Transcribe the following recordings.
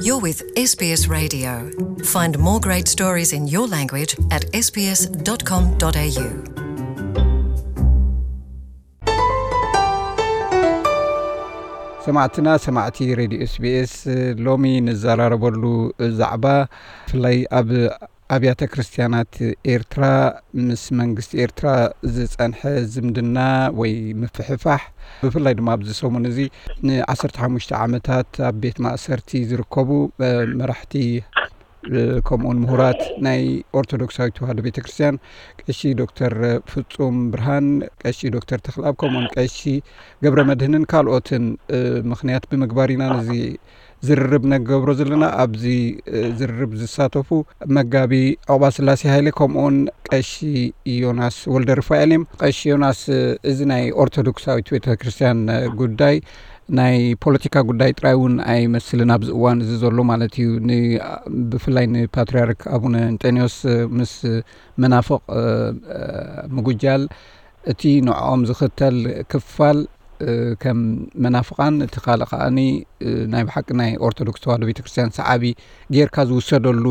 You're with S B S Radio. Find more great stories in your language at S B S dot com dot A U. ሰማዕትና፣ ሰማዕቲ ሬድዮ ኤስቢኤስ፣ ሎሚ ንዘራረበሉ ዛዕባ ብፍላይ ኣብ ኣብያተ ክርስቲያናት ኤርትራ ምስ መንግስቲ ኤርትራ ዝጸንሐ ዝምድና ወይ ምፍሕፋሕ፣ ብፍላይ ድማ ኣብዚ ሰሙን እዚ ንዓሰርተ ሓሙሽተ ዓመታት ኣብ ቤት ማእሰርቲ ዝርከቡ መራሕቲ፣ ከምኡውን ምሁራት ናይ ኦርቶዶክሳዊት ተዋህዶ ቤተ ክርስቲያን፣ ቀሺ ዶክተር ፍጹም ብርሃን፣ ቀሺ ዶክተር ተኽልኣብ፣ ከምኡውን ቀሺ ገብረ መድህንን ካልኦትን ምኽንያት ብምግባር ኢና ነዚ ዝርርብ ነገብሮ ዘለና። ኣብዚ ዝርርብ ዝሳተፉ መጋቢ ዑቕባስላሴ ሃይለ፣ ከምኡውን ቀሺ ዮናስ ወልደ ርፋኤል እዮም። ቀሺ ዮናስ፣ እዚ ናይ ኦርቶዶክሳዊት ቤተ ክርስቲያን ጉዳይ ናይ ፖለቲካ ጉዳይ ጥራይ እውን ኣይመስልን ኣብዚ እዋን እዚ ዘሎ ማለት እዩ። ን-፣ ብፍላይ ንፓትርያርክ ኣቡነ እንጠንዮስ ምስ መናፍቕ ምጉጃል፣ እቲ ንዕኦም ዝኽተል ክፋል ከም መናፍቓን፣ እቲ ካልእ ከኣኒ ናይ ብሓቂ ናይ ኦርቶዶክስ ተዋህዶ ቤተክርስትያን ሰዓቢ ጌርካ ዝውሰደሉ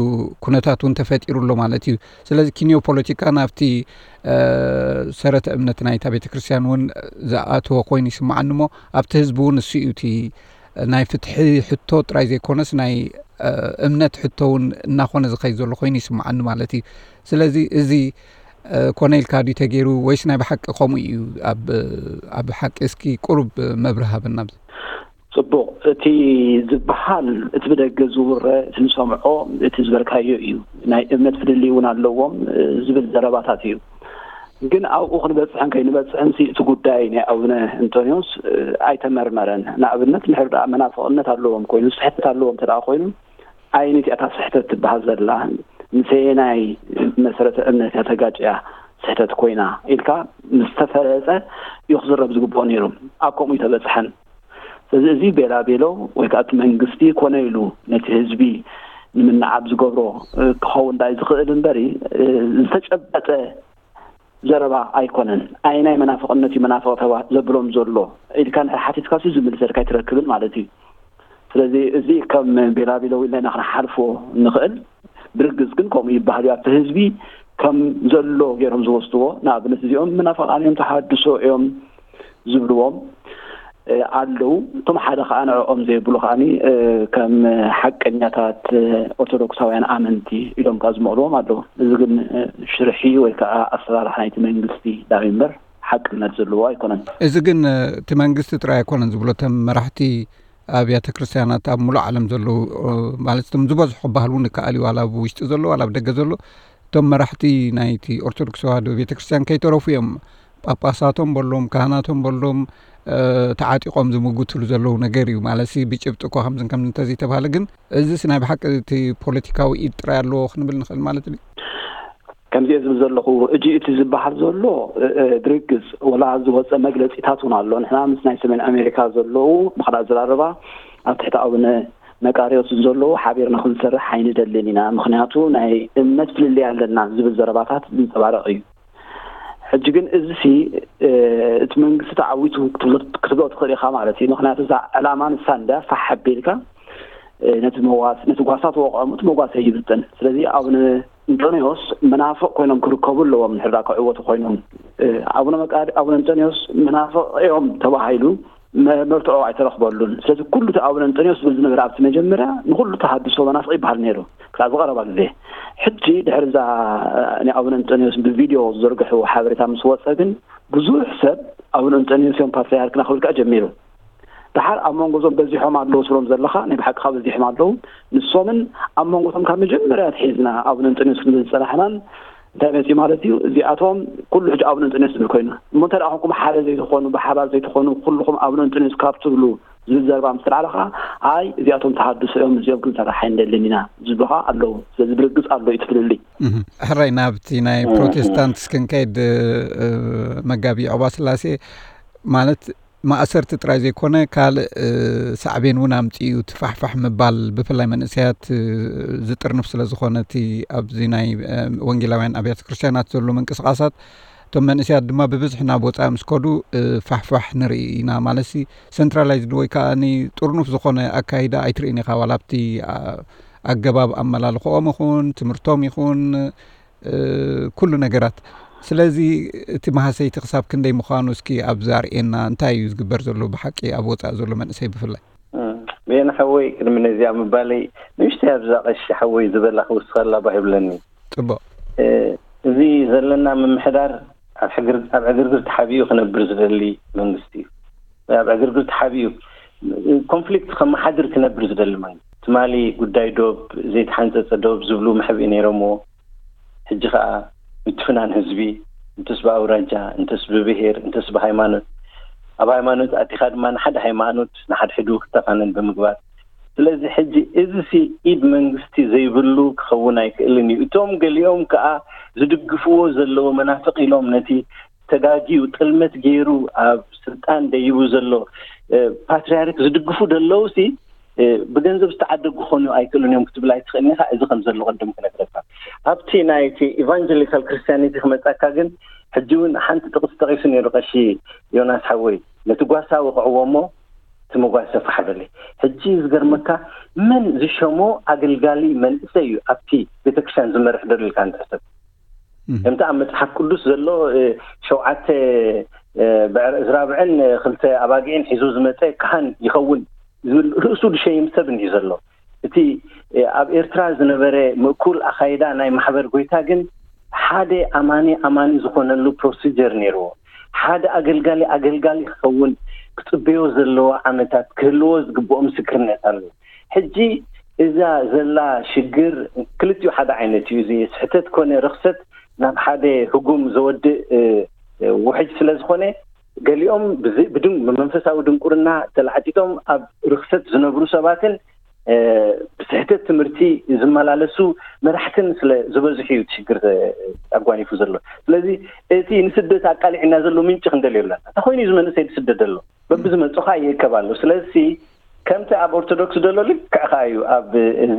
ኩነታት እውን ተፈጢሩ ኣሎ ማለት እዩ። ስለዚ ኪንዮ ፖለቲካ ናብቲ ሰረተ እምነት ናይታ ቤተክርስትያን እውን ዝኣተወ ኮይኑ ይስምዓኒ እሞ፣ ኣብቲ ህዝቢ እውን እሱ እዩ እቲ ናይ ፍትሒ ሕቶ ጥራይ ዘይኮነስ ናይ እምነት ሕቶ እውን እናኾነ ዝኸይድ ዘሎ ኮይኑ ይስምዓኒ ማለት እዩ። ስለዚ እዚ ኮነ ኢልካ ድዩ ተገይሩ ወይስ ናይ ብሓቂ ከምኡ እዩ? ኣብ፣ ኣብ ሓቂ እስኪ ቁሩብ መብርሂ ሃበና ኣብዚ። ጽቡቕ። እቲ ዝበሃል፣ እቲ ብደገ ዝውረ፣ እቲ ንሰምዖ፣ እቲ ዝበልካዮ እዩ። ናይ እምነት ፍልልይ እውን ኣለዎም፣ ዝብል ዘረባታት እዩ። ግን ኣብኡ ክንበጽሕን ከይንበጽሕን ሲ እቲ ጉዳይ ናይ ኣቡነ እንጦንዮስ ኣይተመርመረን። ንኣብነት፣ እንድሕር ደኣ መናፍቕነት ኣለዎም ኮይኑ፣ ስሕተት ኣለዎም እንተ ደኣ ኮይኑ፣ ኣየነይቲኣ እታ ስሕተት ትበሃል ዘላ፣ ምስ ኣየናይ መሰረተ እምነት እያ ተጋጭያ ስሕተት ኮይና ኢልካ ምስ ተፈለጠ እዩ ክዝረብ ዝግብኦ ነይሩ። ኣብ ከምኡ ይተበጽሐን። ስለዚ እዚ ቤላ ቤሎ ወይ ከዓ እቲ መንግስቲ ኮነ ኢሉ ነቲ ህዝቢ ንምንዓብ ዝገብሮ ክኸውን ዳይ ዝኽእል እምበሪ፣ ዝተጨበጠ ዘረባ ኣይኮነን። ኣየናይ መናፍቕነት እዩ መናፍቕ ተባ-፣ ዘብሎም ዘሎ ኢልካ እንድሕር ሓቲትካ ሲ ዝምልሰልካ ኣይትረክብን ማለት እዩ። ስለዚ እዚ ከም ቤላቢሎ ኢልና ኢና ክንሓልፎ ንኽእል። ብርግጽ ግን ከምኡ ይበሃል እዩ። ኣብቲ ህዝቢ ከም ዘሎ ገይሮም ዝወስድዎ፣ ንኣብነት እዚኦም መናፍቓን እዮም፣ ተሃድሶ እዮም ዝብልዎም ኣለዉ። እቶም ሓደ ከዓ ንዕኦም ዘይብሉ ከዓኒ ከም ሓቀኛታት ኦርቶዶክሳውያን ኣመንቲ ኢሎም ከዓ ዝመቕልዎም ኣለዉ። እዚ ግን ሽርሒ ወይ ከዓ ኣሰራርሓ ናይቲ መንግስቲ ዳዊ እምበር ሓቅነት ዘለዎ ኣይኮነን። እዚ ግን እቲ መንግስቲ ጥራይ ኣይኮነን ዝብሎ፣ እቶም መራሕቲ ኣብያተ ክርስቲያናት ኣብ ሙሉእ ዓለም ዘለዉ፣ ማለት እቶም ዝበዝሑ ክበሃል እውን ይከኣል እዩ፣ ዋላ ኣብ ውሽጢ ዘሎ ዋላ ኣብ ደገ ዘሎ፣ እቶም መራሕቲ ናይቲ ኦርቶዶክስ ተዋህዶ ቤተክርስትያን ከይተረፉ እዮም። ጳጳሳቶም በሎም፣ ካህናቶም በሎም፣ ተዓጢቖም ዝምጉትሉ ዘለዉ ነገር እዩ። ማለት ሲ ብጭብጢ እኳ ከምዝን ከምዚ እንተዘይተባሃለ ግን፣ እዚስ ናይ ብሓቂ እቲ ፖለቲካዊ ኢድ ጥራይ ኣለዎ ክንብል ንኽእል ማለት ድዩ? ከምዚ እየ ዝብል ዘለኹ፣ እጂ እቲ ዝበሃል ዘሎ ብርግጽ ወላ ዝወፀ መግለፂታት እውን ኣሎ። ንሕና ምስ ናይ ሰሜን ኣሜሪካ ዘለዉ ምኽላ ዝራረባ ኣብ ትሕቲ ኣቡነ መቃርዮስ ዘለዉ ሓቢርና ክንሰርሕ ኣይንደልን ኢና፣ ምኽንያቱ ናይ እምነት ፍልልይ ኣለና ዝብል ዘረባታት ዝንፀባረቕ እዩ። ሕጂ ግን እዚ ሲ እቲ መንግስቲ ተዓዊቱ ክትብሎ ትኽእል ኢኻ ማለት እዩ። ምኽንያቱ እዛ ዕላማ ንሳ እንዳ ፋሕ ኣቢልካ ነቲ መዋስ-፣ ነቲ ጓሳ ተወቕዖም እቲ መጓሰ ይብጥን። ስለዚ ኣቡነ እንጦንዮስ መናፍቕ ኮይኖም ክርከቡ ኣለዎም፣ ንሕዳ ክዕወቱ ኮይኖም። ኣቡነ መቃሪ-፣ ኣቡነ እንጦንዮስ መናፍቕ እዮም ተባሂሉ መ-፣ መርትዖ ኣይተረኽበሉን። ስለዚ ኩሉ እቲ ኣቡነ እንጦንዮስ ዝብል ዝነበረ ኣብቲ መጀመርያ ንኹሉ ተሃድሶ መናፍቕ ይበሃል ነይሩ ክሳብ ዝቐረባ ግዜ። ሕጂ ድሕሪ እዛ ናይ ኣቡነ እንጦንዮስ ብቪድዮ ዝዘርግሕዎ ሓበሬታ ምስ ወጸ ግን ብዙሕ ሰብ ኣቡነ እንጦንዮስ እዮም ፓትርያርክና ክብል ከኣ ጀሚሩ። ደሓር ኣብ መንጎ እዞም በዚሖም ኣለዉ ትብሎም ዘለኻ፣ ናይ ብሓቂ ካብ በዚሖም ኣለዉ። ንሶምን ኣብ መንጎ እቶም ካብ መጀመርያ ኣትሒዝና ኣቡነ እንጦንዮስ ክንብል ዝጸናሕናን እንታይ መጺኡ ማለት እዩ? እዚኣቶም ኩሉ ሕጂ ኣቡነ እንጦንዮስ ዝብል ኮይኑ። እሞ እንተ ደኣ ኮንኩም ሓደ ዘይትኾኑ፣ ብሓባር ዘይትኾኑ፣ ኩልኹም ኣቡነ እንጦንዮስ ካብ ትብሉ ዝብል ዘረባ ምስ ተላዕለ ኸዓ፣ ኣይ፣ እዚኣቶም ተሃድሶ እዮም፣ እዚኦም ክንሰርሕ ኣይንደልን ኢና ዝብሉ ኸዓ ኣለዉ። ስለዚ ብርግጽ ኣሎ እዩ እቲ ፍልልይ። እህ፣ ሕራይ ናብቲ ናይ እ፣ እ። ፕሮቴስታንት እስክንከይድ፣ እ፣ መጋቢ ዑባ ስላሴ ማለት ማእሰርቲ ጥራይ ዘይኮነ፣ ካልእ፣ እ፣ ሳዕቤን እውን ኣምጺኡ፣ እቲ ፋሕፋሕ ምባል፣ ብፍላይ መንእሰያት፣ እ፣ ዝጥርንፍ ስለ ዝኾነ፣ እቲ ኣብዚ ናይ፣ እ፣ ወንጌላውያን ኣብያተ ክርስቲያናት ዘሎ ምንቅስቓሳት፣ እቶም መንእሰያት ድማ ብብዝሒ ናብ ወፃኢ ምስ ከዱ ፋሕፋሕ ንርኢ ኢና። ማለት ሲ ሰንትራላይዝድ ወይ ከዓ ጥርኑፍ ዝኾነ ኣካይዳ ኣይትርእን ኢኻ። ዋላ ኣብቲ ኣገባብ ኣመላልኽኦም ይኹን ትምህርቶም ይኹን ኩሉ ነገራት። ስለዚ እቲ መሃሰይቲ ክሳብ ክንደይ ምዃኑ እስኪ ኣብዚ ኣርእየና። እንታይ እዩ ዝግበር ዘሎ ብሓቂ ኣብ ወፃኢ ዘሎ መንእሰይ ብፍላይ? ብየነ ሓወይ፣ ቅድሚ ነዚኣ ምባለይ ንእሽተይ ኣብዛ ቀሺ ሓወይ ዝበላ ክውስኸላ ባህ ይብለኒ። ፅቡቅ። እዚ ዘለና ምምሕዳር ኣብ ዕግርግር ተሓቢኡ ክነብር ዝደሊ መንግስቲ እዩ። ኣብ ዕግርግር ተሓቢኡ ኮንፍሊክት ከመሓድር ክነብር ዝደሊ መንግስቲ፣ ትማሊ ጉዳይ ዶብ፣ ዘይተሓንፀፀ ዶብ ዝብሉ መሕብኢ ነይሮምዎ። ሕጂ ከዓ ምትፍናን ህዝቢ፣ እንተስ ብኣውራጃ፣ እንተስ ብብሄር፣ እንተስ ብሃይማኖት፣ ኣብ ሃይማኖት ኣቲኻ ድማ ንሓደ ሃይማኖት ንሓድሕዱ ክተፋነን ብምግባር፣ ስለዚ ሕጂ እዚ ሲ ኢድ መንግስቲ ዘይብሉ ክኸውን ኣይክእልን እዩ። እቶም ገሊኦም ከዓ ዝድግፍዎ ዘለዉ መናፍቅ ኢሎም ነቲ ተጋጊዩ ጥልመት ገይሩ ኣብ ስልጣን ደይቡ ዘሎ ፓትርያርክ ዝድግፉ ደለዉ ሲ ብገንዘብ ዝተዓደጉ ክኾኑ ኣይክእሉን እዮም ክትብል ኣይትኽእልን ኢኻ። እዚ ከም ዘሎ ቅድም ክነግረካ፣ ኣብቲ ናይቲ ኢቫንጀሊካል ክርስቲያኒቲ ክመጻካ ግን፣ ሕጂ እውን ሓንቲ ጥቕሲ ጠቒሱ ነይሩ ቀሺ ዮናስ ሓወይ። ነቲ ጓሳ ወቕዕዎ እሞ እቲ መጓሰ ፋሕ በለ። ሕጂ ዝገርመካ፣ መን ዝሸሞ ኣገልጋሊ መንእሰይ እዩ ኣብቲ ቤተክርስትያን ዝመርሕ ደሎ ኢልካ ንትሕሰብ። ከምቲ ኣብ መጽሓፍ ቅዱስ ዘሎ ሸውዓተ ብዕር እዝራብዕን ክልተ ኣባጊዕን ሒዙ ዝመጸ ካህን ይኸውን ዝብል ርእሱ ዝሸይም ሰብ እንድዩ ዘሎ። እቲ ኣብ ኤርትራ ዝነበረ ምእኩል ኣኻይዳ ናይ ማሕበር ጎይታ ግን ሓደ ኣማኒ ኣማኒ ዝኾነሉ ፕሮሲጀር ነይርዎ። ሓደ ኣገልጋሊ ኣገልጋሊ ክኸውን ክጽበዮ ዘለዎ ዓመታት ክህልዎ ዝግብኦ ምስክርነት ኣሎ። ሕጂ እዛ ዘላ ሽግር ክልቲኡ ሓደ ዓይነት እዩ። እዚ ስሕተት ኮነ ርኽሰት ናብ ሓደ ህጉም ዘወድእ ውሕጅ ስለ ዝኾነ፣ ገሊኦም ብመንፈሳዊ ድንቁርና ተላዕጢጦም ኣብ ርኽሰት ዝነብሩ ሰባትን ብስሕተት ትምህርቲ ዝመላለሱ መራሕትን ስለ ዝበዝሑ እዩ ሽግር ኣጓኒፉ ዘሎ። ስለዚ እቲ ንስደት ኣቃሊዕና ዘሎ ምንጪ ክንደልዮ ኣለና። እንታይ ኮይኑ እዩ ዝመንእሰይ ዝስደድ ዘሎ? በብዝመፅኻ ይእከብ ኣሎ። ስለዚ ከምቲ ኣብ ኦርቶዶክስ ዘሎ ልክዕ ከኣ እዩ ኣብ እዚ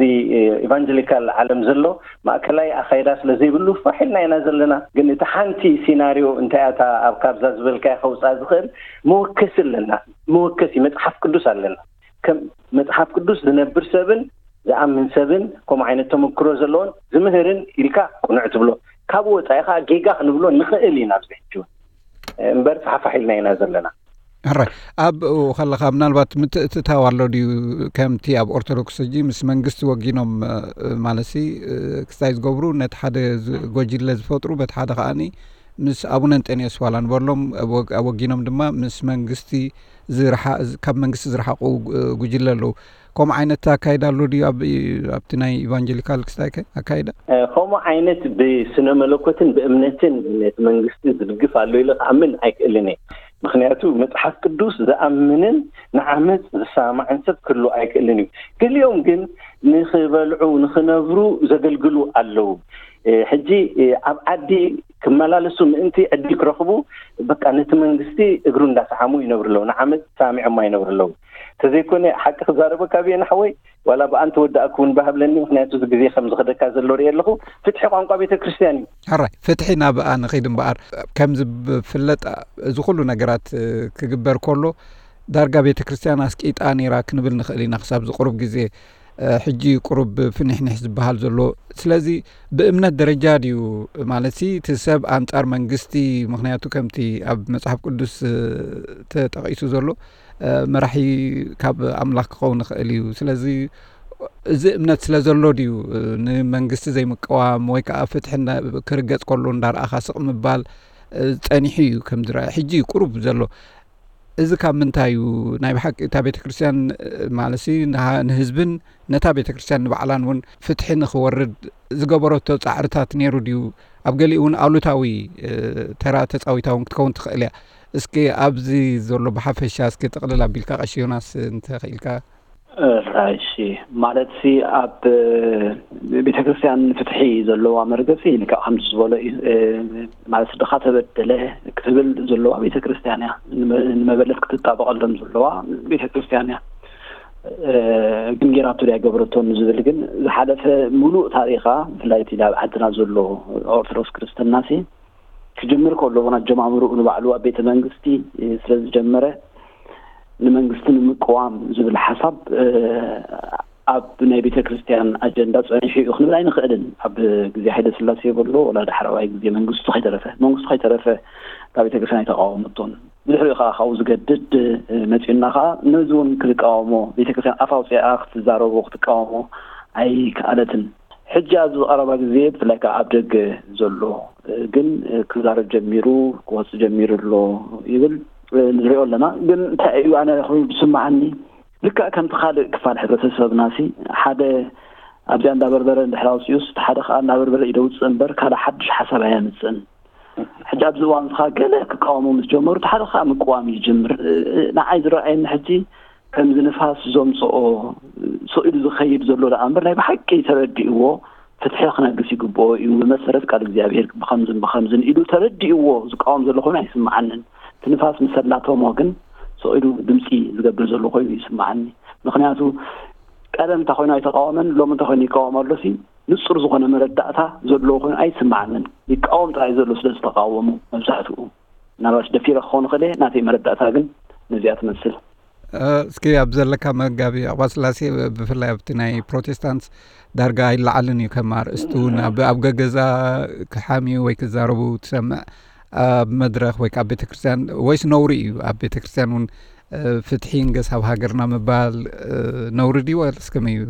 ኢቫንጀሊካል ዓለም ዘሎ ማእከላይ ኣኻይዳ ስለ ዘይብሉ ፋሕ ኢልና ኢና ዘለና። ግን እቲ ሓንቲ ሲናርዮ እንታይ እያ እታ ኣብ ካብዛ ዝበልካያ ከውፅኣ ዝኽእል? መወከሲ ኣለና። መወከሲ መፅሓፍ ቅዱስ ኣለና። ከም መፅሓፍ ቅዱስ ዝነብር ሰብን ዝኣምን ሰብን ከምኡ ዓይነት ተመክሮ ዘለዎን ዝምህርን ኢልካ ቅኑዕ ትብሎ። ካብኡ ወፃኢ ከዓ ጌጋ ክንብሎ ንኽእል ኢና ኣብዚ ሕጂ እውን። እምበር ፋሕፋሕ ኢልና ኢና ዘለና። ሕራይ ኣብኡ ከለኻ ምናልባት ምትእትታው ኣሎ ድዩ? ከምቲ ኣብ ኦርቶዶክስ ሕጂ ምስ መንግስቲ ወጊኖም ማለት ሲ ክስታይ ዝገብሩ ነቲ ሓደ ጎጅለ ዝፈጥሩ በቲ ሓደ ከዓኒ ምስ ኣቡነ እንጠንዮስ ዋላ ንበሎም ወጊኖም ድማ ምስ መንግስቲ ካብ መንግስቲ ዝረሓቑ ጉጅለ ኣለዉ። ከምኡ ዓይነት ኣካይዳ ኣሎ ድዩ ኣብቲ ናይ ኢቫንጀሊካል ክስታይ ኣካይዳ? ከምኡ ዓይነት ብስነ መለኮትን ብእምነትን ነቲ መንግስቲ ዝድግፍ ኣሎ ኢለ ክኣምን ኣይክእልን እየ። ምክንያቱ መፅሓፍ ቅዱስ ዝኣምንን ንዓመፅ ዝሰማማዕን ሰብ ክህሉ ኣይክእልን እዩ። ገሊኦም ግን ንክበልዑ ንክነብሩ ዘገልግሉ ኣለዉ። ሕጂ ኣብ ዓዲ ክመላለሱ ምእንቲ ዕድል ክረኽቡ በቃ ነቲ መንግስቲ እግሩ እንዳሰዓሙ ይነብሩ ኣለዉ። ንዓመፅ ሰሚዖማ ይነብሩ ኣለዉ። ተዘይኮነ ሓቂ ክዛረበካ ብየ ንሓወይ ዋላ ብኣን ተወዳእኩ እውን ባሃብለኒ። ምክንያቱ እዚ ግዜ ከም ዝኸደካ ዘሎ ርየ ኣለኹ። ፍትሒ ቋንቋ ቤተ ክርስትያን እዩ። ሕራይ ፍትሒ ናብ ንኸይድ እምበኣር ከምዚ ብፍለጥ እዚ ኩሉ ነገራት ክግበር ከሎ ዳርጋ ቤተ ክርስትያን ኣስቂጣ ነይራ ክንብል ንኽእል ኢና ክሳብ ዝቁሩብ ግዜ። ሕጂ ቁሩብ ፍኒሕኒሕ ዝበሃል ዘሎ። ስለዚ ብእምነት ደረጃ ድዩ ማለት ሲ እቲ ሰብ ኣንጻር መንግስቲ? ምክንያቱ ከምቲ ኣብ መጽሓፍ ቅዱስ ተጠቒሱ ዘሎ መራሒ ካብ ኣምላኽ ክኸውን ይኽእል እዩ። ስለዚ እዚ እምነት ስለ ዘሎ ድዩ ንመንግስቲ ዘይምቅዋም ወይ ከዓ ፍትሒ ክርገጽ ከሎ እንዳረኣኻ ስቕ ምባል ጸኒሑ እዩ ከም ዝረአ ሕጂ እዩ ቁሩብ ዘሎ። እዚ ካብ ምንታይ እዩ ናይ ብሓቂ እታ ቤተ ክርስትያን ማለት ንህዝብን ነታ ቤተ ክርስትያን ንባዕላን እውን ፍትሒ ንክወርድ ዝገበረቶ ፃዕርታት ነይሩ ድዩ? ኣብ ገሊኡ እውን ኣሉታዊ ተራ ተፃዊታ እውን ክትከውን ትኽእል እያ። እስኪ ኣብዚ ዘሎ ብሓፈሻ እስኪ ጥቕልል ኣቢልካ ቀሺ ዮናስ እንተኽኢልካ። እሺ፣ ማለት ሲ ኣብ ቤተ ክርስትያን ፍትሒ ዘለዋ መርገፂ ልክዕ ከምዚ ዝበሎ እዩ። ማለት ድኻ ተበደለ ክትብል ዘለዋ ቤተ ክርስትያን እያ። ንመበለት ክትጣበቐሎም ዘለዋ ቤተ ክርስትያን እያ። ግን ጌራቶ ድያ ገበረቶ ንዝብል ግን ዝሓለፈ ሙሉእ ታሪኻ ብፍላይ እቲ ኣብ ዓድና ዘሎ ኦርቶዶክስ ክርስትና ሲ ክጅምር ከሎ፣ እውን ኣጀማምርኡ ንባዕሉ ኣብ ቤተ መንግስቲ ስለ ዝጀመረ፣ ንመንግስቲ ንምቅዋም ዝብል ሓሳብ ኣብ ናይ ቤተ ክርስቲያን ኣጀንዳ ጸኒሑ እዩ ክንብል ኣይንኽእልን። ኣብ ግዜ ሃይለ ስላሴ የበሎ፣ ወላ ዳሕረዋይ ግዜ መንግስቱ ከይተረፈ መንግስቱ ከይተረፈ ካብ ቤተ ክርስቲያን ኣይተቃወመቶን። ብድሕሪኡ ከዓ ካብኡ ዝገድድ መጺኡና ከዓ ነዚ እውን ክትቃወሞ፣ ቤተ ክርስቲያን ኣፍ ኣውፂኣ ክትዛረቦ ክትቃወሞ ኣይከኣለትን። ሕጂ ኣብዚ ቀረባ ግዜ ብፍላይ ከዓ ኣብ ደገ ዘሎ ግን ክዛረብ ጀሚሩ፣ ክወፅእ ጀሚሩ ኣሎ ይብል ንሪኦ ኣለና። ግን እንታይ እዩ ኣነ ኮይኑ ዝስምዓኒ፣ ልክዕ ከምቲ ካልእ ክፋል ሕብረተሰብና ሲ ሓደ ኣብዚኣ እንዳበርበረ እንድሕር ኣውፅኡስ፣ እቲ ሓደ ከዓ እናበርበረ እዩ ደውፅእ እምበር ካልእ ሓድሽ ሓሳብ ኣየምፅእን። ሕጂ ኣብዚ እዋን እዚ ከዓ ገለ ክቃወሙ ምስ ጀመሩ፣ እቲ ሓደ ከዓ ምቅዋም ይጅምር። ንዓይ ዝረኣየኒ ሕጂ ከምዚ ንፋስ ዘምፅኦ ስቕ ኢሉ ዝኸይድ ዘሎ ደኣ እምበር፣ ናይ ብሓቂ ተረዲእዎ ፍትሒ ክነግስ ይግብኦ እዩ፣ ብመሰረት ቃል እግዚኣብሔር ብኸምዝን ብኸምዝን ኢሉ ተረዲእዎ ዝቃወም ዘሎ ኮይኑ ኣይስምዓንን። እቲ ንፋስ ምስ ኣላተሞ ግን ስቕ ኢሉ ድምፂ ዝገብር ዘሎ ኮይኑ ይስምዓኒ። ምኽንያቱ ቀደም እንታይ ኮይኑ ኣይተቃወመን፣ ሎሚ እንታይ ኮይኑ ይቃወም ኣሎ ሲ ንጹር ዝኾነ መረዳእታ ዘለዎ ኮይኑ ኣይስምዓንን። ይቃወም ጥራይ ዘሎ ስለ ዝተቃወሙ መብዛሕትኡ። ምናልባሽ ደፊረ ክኸውን ይኽእል እየ፣ ናተይ መረዳእታ ግን ነዚኣ ትመስል። እ፣ እስኪ ኣብ ዘለካ መጋቢ ኣቕባ ስላሴ፣ ብፍላይ ኣብቲ ናይ ፕሮቴስታንት ዳርጋ ኣይለዓልን እዩ፣ ከም ኣርእስቲ እውን ኣብ፣ ኣብ ገገዛ ክሓምዩ ወይ ክዛረቡ ትሰምዕ፣ ኣብ መድረኽ ወይ ከዓ ቤተ ክርስቲያን፣ ወይስ ነውሪ እዩ ኣብ ቤተ ክርስቲያን እውን እ፣ ፍትሒ ይንገስ ኣብ ሃገርና ምባል፣ እ፣ ነውሪ ድዩ ወይስ ከመይ እዩ?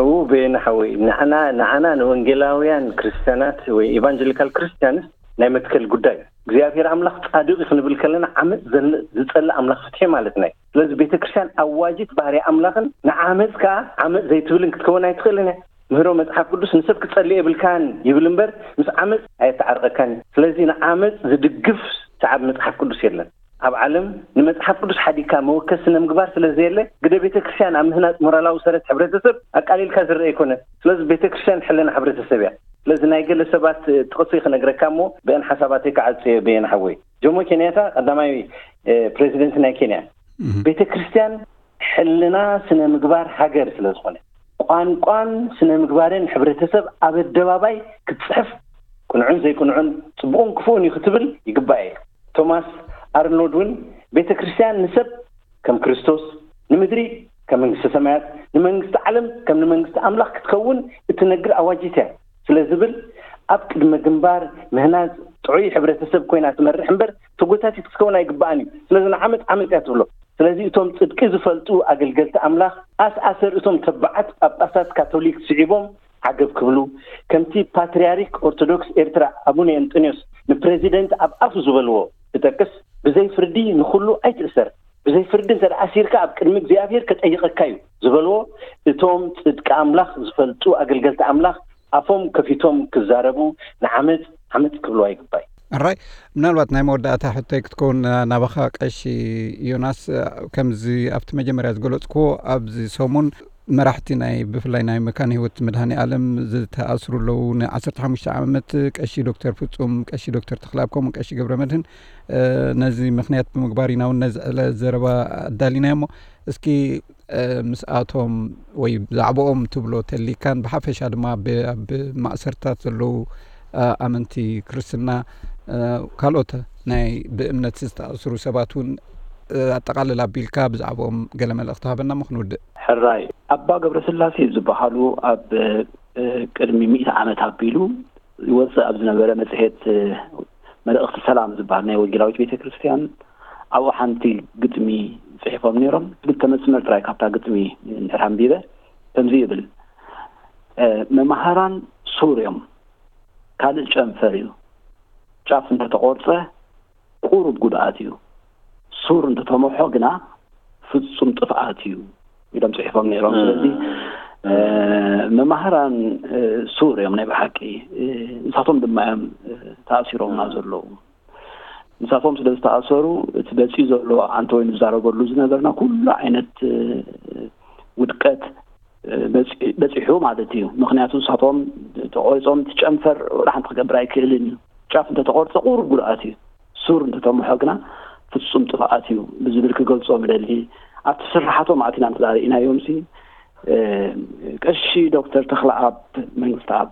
እው፣ በየነ ሓወይ፣ ንዓና፣ ንዓና ንወንጌላውያን ክርስቲያናት ወይ ኤቫንጀሊካል ክርስቲያንስ ናይ መትከል ጉዳይ እዩ። እግዚኣብሔር ኣምላኽ ጻድቕ እዩ ክንብል ከለና ዓመጽ ዘል-፣ ዝጸልእ ኣምላኽ ፍትሒ ማለትና እዩ። ስለዚ ቤተ ክርስቲያን ኣዋጂት ባህሪ ኣምላኽን ንዓመጽ ከኣ ዓመጽ ዘይትብልን ክትከውን ኣይትኽእልን እያ። ምህሮ መጽሓፍ ቅዱስ ንሰብ ክትጸልእ የብልካን ይብል እምበር ምስ ዓመጽ ኣየተዓርቐካን እዩ። ስለዚ ንዓመጽ ዝድግፍ ሰዓብ መጽሓፍ ቅዱስ የለን። ኣብ ዓለም ንመጽሓፍ ቅዱስ ሓዲግካ መወከሲ ስነ ምግባር ስለ ዘየለ፣ ግደ ቤተ ክርስቲያን ኣብ ምህናጽ ሞራላዊ ሰረት ሕብረተሰብ ኣቃሊልካ ዝረአ ኣይኮነን። ስለዚ ቤተ ክርስቲያን ሕልና ሕብረተሰብ እያ። ስለዚ ናይ ገለ ሰባት ጥቕሲ ክነግረካ እሞ ብአን ሓሳባተይ ክዓጽዮ በየን ሓወይ። ጆሞ ኬንያታ ቀዳማይ፣ እ፣ ፕሬዚደንት ናይ ኬንያ፣ እህ። ቤተ ክርስቲያን ሕልና ስነ ምግባር ሃገር ስለ ዝኾነ፣ ቋንቋን ስነ ምግባርን ሕብረተሰብ ኣብ ኣደባባይ ክትጽሕፍ፣ ቅኑዕን ዘይቅኑዕን ጽቡቕን ክፉእን እዩ ክትብል ይግባእ እዩ። ቶማስ ኣርኖልድ እውን ቤተ ክርስቲያን ንሰብ ከም ክርስቶስ፣ ንምድሪ ከም መንግስተ ሰማያት፣ ንመንግስቲ ዓለም ከም ንመንግስቲ ኣምላኽ ክትከውን እትነግር ኣዋጂት እያ ስለ ዝብል፣ ኣብ ቅድመ ግንባር ምህናጽ ጥዑይ ሕብረተሰብ ኮይና ትመርሕ እምበር ተጎታቲት ክትከውን ኣይግባኣን እዩ። ስለዚ ንዓመጽ ዓመጽ እያ ትብሎ። ስለዚ እቶም ጽድቂ ዝፈልጡ ኣገልገልቲ ኣምላኽ ኣስኣሰር እቶም ተባዓት ጳጳሳት ካቶሊክ ስዒቦም ዓገብ ክብሉ፣ ከምቲ ፓትርያርክ ኦርቶዶክስ ኤርትራ ኣቡነ እንጠንዮስ ንፕሬዚደንት ኣብ ኣፉ ዝበልዎ ክጠቅስ፣ ብዘይ ፍርዲ ንኹሉ ኣይትእሰር፣ ብዘይ ፍርዲ እንተ ደኣ ኣሲርካ ኣብ ቅድሚ እግዚኣብሔር ከጠይቐካ እዩ ዝበልዎ፣ እቶም ጽድቂ ኣምላኽ ዝፈልጡ ኣገልገልቲ ኣምላኽ ኣፎም ከፊቶም ክዛረቡ፣ ንዓመጽ ዓመጽ ክብልዋ ይግባእ። ኣራይ፣ ምናልባት ናይ መወዳእታ ሕቶይ ክትከውን ናባኻ ቀሺ ዮናስ፣ ከምዚ ኣብቲ መጀመርያ ዝገለጽክዎ ኣብዚ ሰሙን መራሕቲ ናይ ብፍላይ ናይ መካነ ህይወት መድሃኔ ዓለም ዝተኣስሩ ኣለዉ። ን15 ዓመት ቀሺ ዶክተር ፍጹም፣ ቀሺ ዶክተር ተኽለኣብ ከምኡ ቀሺ ገብረ መድህን፣ እ፣ ነዚ ምኽንያት ብምግባር ኢና እውን ነዚ ዕለ ዘረባ ኣዳሊናዮ እሞ እስኪ፣ እ፣ ምስኣቶም ወይ ብዛዕባኦም ትብሎ ተሊካን ብሓፈሻ ድማ ብ-፣ ኣብ ማእሰርታት ዘለዉ፣ እ፣ ኣመንቲ ክርስትና፣ እ፣ ካልኦት ናይ ብእምነት ዝተኣስሩ ሰባት እውን፣ እ፣ ኣጠቓልል ኣቢልካ ብዛዕባኦም ገለ መልእኽቲ ሃበና እሞ ክንውድእ። ሕራይ ኣባ ገብረስላሴ ዝበሃሉ ኣብ፣ እ፣ ቅድሚ ሚእቲ ዓመት ኣቢሉ ይወጽእ ኣብ ዝነበረ መጽሔት፣ እ፣ መልእኽቲ ሰላም ዝበሃል ናይ ወንጌላዊት ቤተ ክርስቲያን ኣብኡ ሓንቲ ግጥሚ ጽሒፎም ነይሮም። ክልተ መስመር ጥራይ ካብታ ግጥሚ እንድሕር ኣንቢበ ከምዚ ይብል፣ እ፣ መማህራን ሱር እዮም፣ ካልእ ጨንፈር እዩ። ጫፍ እንተተቖርጸ ቁሩብ ጉድኣት እዩ። ሱር እንተተመሖ ግና ፍጹም ጥፍኣት እዩ ኢሎም ጽሒፎም ነይሮም። ስለዚ፣ እ፣ መማህራን፣ እ፣ ሱር እዮም ናይ ብሓቂ። እ፣ ንሳቶም ድማ እዮም፣ እ፣ ተኣሲሮምና ዘለዉ። ንሳቶም ስለ ዝተኣሰሩ እቲ በጺኡ ዘሎ ኣንተ ወይ ንዛረበሉ ዝነበርና ኩሉ ዓይነት፣ እ፣ ውድቀት፣ እ፣ በጺ-፣ በጺሑ ማለት እዩ። ምኽንያቱ ንሳቶም ተቖሪጾም እቲ ጨንፈር ወላ ሓንቲ ክገብር ኣይክእልን እዩ። ጫፍ እንተተቖርጸ ቁሩብ ጉድኣት እዩ። ሱር እንተተምሖ ግና ፍጹም ጥፍኣት እዩ ብዝብል ክገልጾ ምደሊ። ኣብቲ ስርሓቶም ኣቲና እንተ ርኢናዮምሲ፣ እ፣ ቀሺ ዶክተር ተኽለኣብ መንግስተኣብ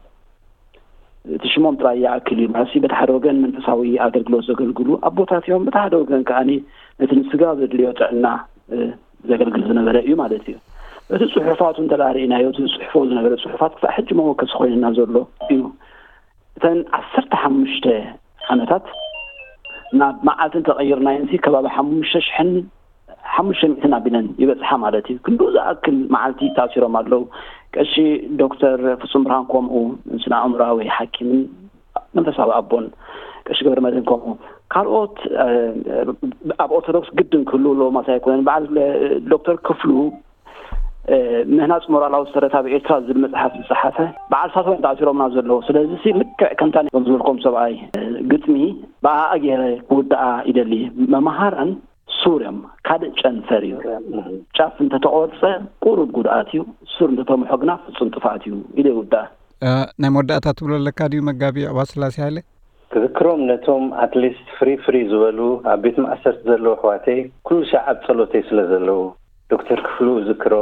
እቲ ሽሞም ጥራይ ይኣክል እዩ። ማለት በቲ ሓደ ወገን መንፈሳዊ ኣገልግሎት ዘገልግሉ ኣቦታት እዮም፣ በቲ ሓደ ወገን ከኣ ነቲ ንስጋ ዘድልዮ ጥዕና ዘገልግል ዝነበረ እዩ ማለት እዩ። እቲ ጽሑፋቱ እንተ ርኢናዮ፣ እቲ ዝጽሕፎ ዝነበረ ጽሑፋት ክሳዕ ሕጂ መወከሲ ኮይንና ዘሎ እዩ። እተን ዓሰርተ ሓሙሽተ ዓመታት ናብ መዓልቲ እንተቐይርናዮ፣ ከባቢ ሓሙሽተ ሽሕን ሓሙሽተ ሚእትን ኣቢለን ይበጽሓ ማለት እዩ። ክንዱ ዝኣክል መዓልቲ ተኣሲሮም ኣለዉ። ቀሺ ዶክተር ፍጹም ብርሃን ከምኡ፣ ስነ ኣእምሮኣዊ ሓኪምን መንፈሳዊ ኣቦን፣ ቀሺ ገብረ መድህን ከምኡ፣ ካልኦት ኣብ ኦርቶዶክስ ግድን ክህልው ኣለዎ ማለት ኣይኮነን። በዓል ዶክተር ክፍሉ ምህናጽ ሞራላዊ ሰረት ኣብ ኤርትራ ዝብል መጽሓፍ ዝጸሓፈ በዓል ሳቶም ተኣሲሮምና ዘለዉ። ስለዚ ልክዕ ከምታ ዝበልኩም ሰብኣይ ግጥሚ ብኣኣ ገይረ ክውድኣ ይደሊ። መምሃራን ሱር እዮም፣ ካልእ ጨንፈር እዩ። ጫፍ እንተተቆርጸ ቁሩብ ጉድኣት እዩ፣ ሱር እንተተምሖ ግና ፍጹም ጥፍኣት እዩ ኢለ ይውድኣ። ናይ መወዳእታ ትብሎ ኣለካ ድዩ መጋቢ ዕባ ስላሴ ሃይለ? ክዝክሮም ነቶም ኣትሊስት ፍሪ ፍሪ ዝበሉ ኣብ ቤት ማእሰርቲ ዘለዉ ኣሕዋተይ ኩሉ ሻዕ ኣብ ጸሎተይ ስለ ዘለዉ፣ ዶክተር ክፍሉ እዝክሮ፣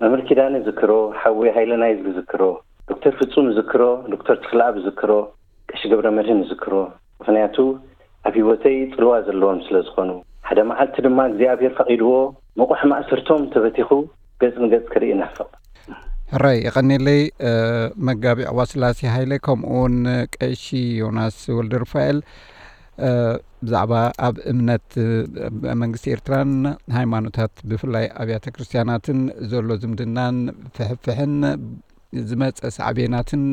መምህር ኪዳነ እዝክሮ፣ ሓወይ ሃይለ ናይዝ እዝክሮ፣ ዶክተር ፍጹም እዝክሮ፣ ዶክተር ተኽለኣብ እዝክሮ፣ ቀሺ ገብረ መድህን እዝክሮ። ምኽንያቱ ኣብ ህይወተይ ጽልዋ ዘለዎም ስለ ዝኾኑ። ሓደ መዓልቲ ድማ እግዚኣብሔር ፈቒድዎ ምቑሕ ማእሰርቶም ተበቲኹ ገጽ ንገጽ ክርኢ ናፍቕ። ሕራይ የቐኔለይ መጋቢ ዕዋ ስላሴ ሃይለ፣ ከምኡውን ቀሺ ዮናስ ወልደ ሩፋኤል ብዛዕባ ኣብ እምነት መንግስቲ ኤርትራን ሃይማኖታት ብፍላይ ኣብያተ ክርስትያናትን ዘሎ ዝምድናን ፍሕፍሕን ዝመፀ ሳዕቤናትን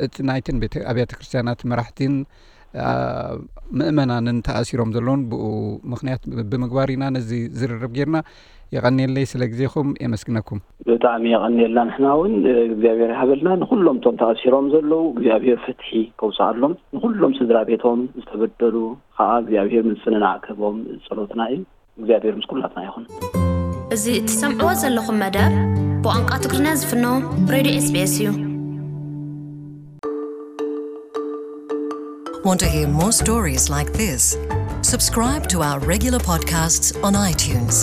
እቲ ናይትን ቤተ ኣብያተ ክርስትያናት መራሕቲን ምእመናንን ተኣሲሮም ዘለውን ብኡ ምኽንያት ብምግባር ኢና ነዚ ዝርርብ ጌርና። የቐንየለይ ስለ ግዜኹም የመስግነኩም። ብጣዕሚ የቐንየልና። ንሕና እውን እግዚኣብሔር ይሃበልና። ንኹሎም እቶም ተኣሲሮም ዘለዉ እግዚኣብሔር ፍትሒ ከውፅኣሎም፣ ንኹሎም ስድራ ቤቶም ዝተበደሉ ከዓ እግዚኣብሔር ምፅንናዕ ክህቦም ጸሎትና እዩ። እግዚኣብሔር ምስ ኩላትና ይኹን። እዚ እትሰምዕዎ ዘለኹም መደብ ብቋንቋ ትግርኛ ዝፍኖ ሬድዮ ኤስቢኤስ እዩ። Want to hear more stories like this? Subscribe to our regular podcasts on iTunes.